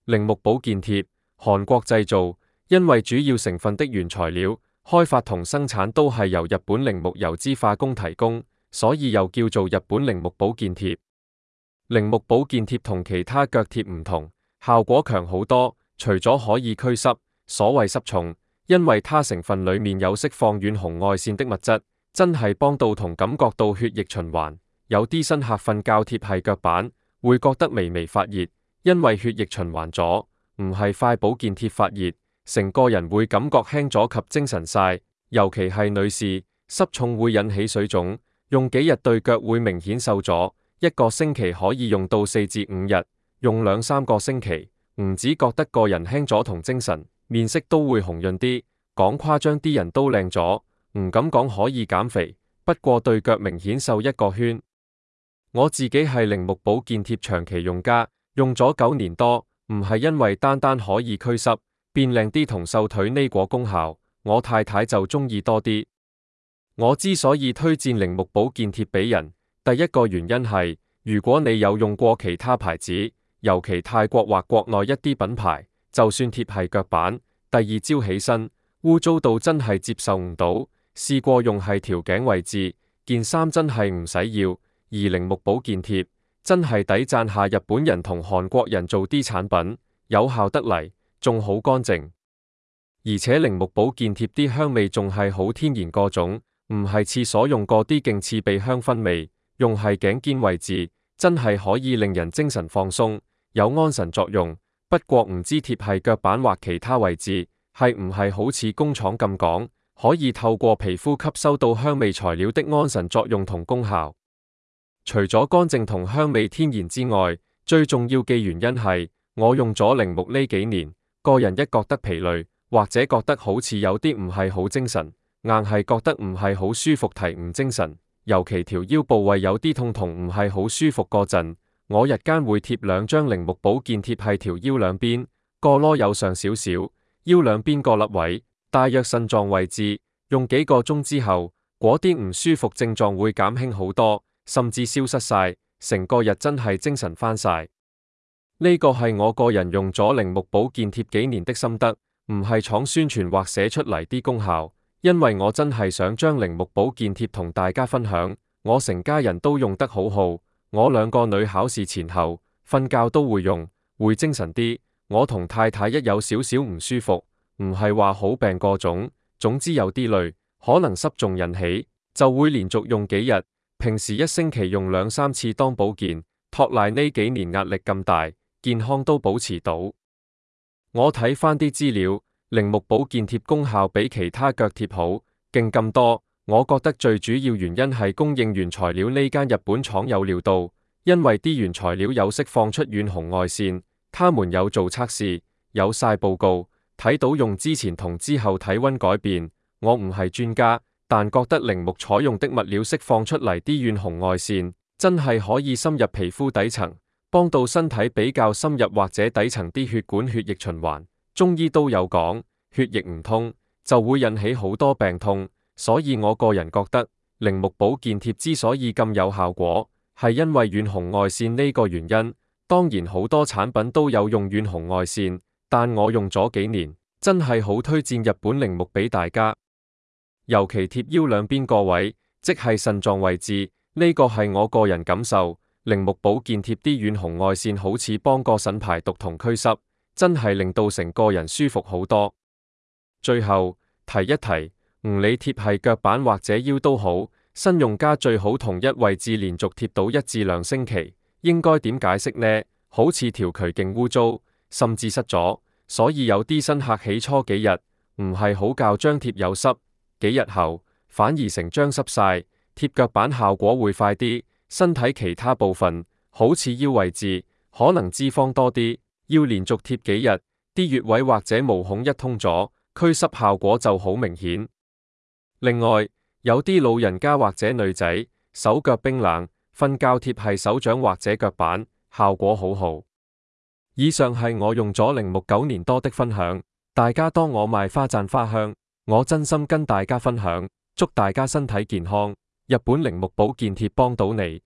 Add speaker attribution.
Speaker 1: 鈴木保健貼，韓國製造，因為主要成分的原材料、開發同生產都係由日本鈴木油脂化工提供，所以又叫做日本鈴木保健貼。鈴木保健貼同其他腳貼唔同，效果強好多，除咗可以驅濕，所謂濕重，因為它成分裡面有釋放遠紅外線的物質，真係幫到同感覺到血液循環。有啲新客瞓覺貼係腳板，會覺得微微發熱，因為血液循環咗，唔係塊保健貼發熱，成個人會感覺輕咗及精神晒。尤其係女士，濕重會引起水腫，用幾日對腳會明顯瘦咗，一個星期可以用到4至5日，用2-3個星期，唔止覺得個人輕咗同精神，面色都會紅潤啲，講誇張啲人都靚咗，唔敢講可以減肥，不過對腳明顯瘦一個圈。我自己係鈴木保健貼長期用家，用咗9年多，唔係因為單單可以驅濕、變靚啲同瘦腿呢個功效，我太太就中意多啲。我之所以推薦鈴木保健貼俾人，第一個原因係，如果你有用過其他牌子，尤其泰國或國內一啲品牌，就算貼係腳板，第二朝起身污糟到真係接受唔到，試過用係條頸位置，件衫真係唔使要。而鈴木保健貼真係抵讚下日本人同韓國人做啲產品，有效得嚟，仲好乾淨。而且鈴木保健貼啲香味仲係好天然個種，唔係廁所用過啲勁刺鼻香薰味，用係頸肩位置，真係可以令人精神放鬆，有安神作用。不過唔知貼係腳板或其他位置，係唔係好似工廠咁講，可以透過皮膚吸收到香味材料的安神作用同功效。除咗乾淨同香味天然之外，最重要嘅原因係，我用咗鈴木呢幾年，個人一覺得疲累，或者覺得好似有啲唔係好精神，硬係覺得唔係好舒服，提唔精神，尤其條腰部位有啲痛同唔係好舒服嗰陣，我日間會貼2張鈴木保健貼喺條腰兩邊，個囉柚上少少，腰兩邊個粒位，大約腎臟位置，用幾個鐘之後，嗰啲唔舒服症狀會減輕好多。甚至消失晒，成個日真係精神翻晒。呢個係我個人用咗鈴木保健貼幾年的心得，唔係廠宣傳或寫出嚟啲功效，因為我真係想將鈴木保健貼同大家分享。我成家人都用得好好，我2個女考試前後瞓覺都會用，會精神啲。我同太太一有少少唔舒服，唔係話好病個種，總之有啲累，可能濕重引起，就會連續用幾日。平時1星期用2-3次當保健，托賴呢幾年壓力咁大，健康都保持到。我睇翻啲資料，鈴木保健貼功效比其他腳貼好，勁咁多。我覺得最主要原因係供應原材料呢間日本廠有料到，因為啲原材料有釋放出遠紅外線，他們有做測試，有晒報告，睇到用之前同之後體溫改變。我唔係專家，但覺得鈴木採用的物料釋放出嚟啲遠紅外線，真係可以深入皮膚底層，幫到身體比較深入或者底層啲血管血液循環。中醫都有講，血液唔通就會引起好多病痛，所以我個人覺得鈴木保健貼之所以咁有效果，係因為遠紅外線呢個原因。當然好多產品都有用遠紅外線，但我用咗幾年，真係好推薦日本鈴木俾大家。尤其貼腰兩邊個位，即係腎臟位置，呢個係我個人感受。鈴木保健貼啲遠紅外線好似幫個腎排毒同驅濕，真係令到成個人舒服好多。最後提一提，唔理貼係腳板或者腰都好，新用家最好同一位置連續貼到1至2星期。應該點解釋呢？好似條渠勁污糟，甚至濕咗，所以有啲新客起初幾日唔係好較張貼有濕，幾日後反而成張濕晒。貼腳板效果會快啲，身體其他部分好似腰位置可能脂肪多啲，要連續貼幾日，啲穴位或者毛孔一通咗，驅濕效果就好明顯。另外有啲老人家或者女仔手腳冰冷，瞓覺貼係手掌或者腳板，效果好好。以上係我用咗鈴木9年多的分享，大家當我賣花讚花香，我真心跟大家分享，祝大家身體健康。日本鈴木保健貼幫到你。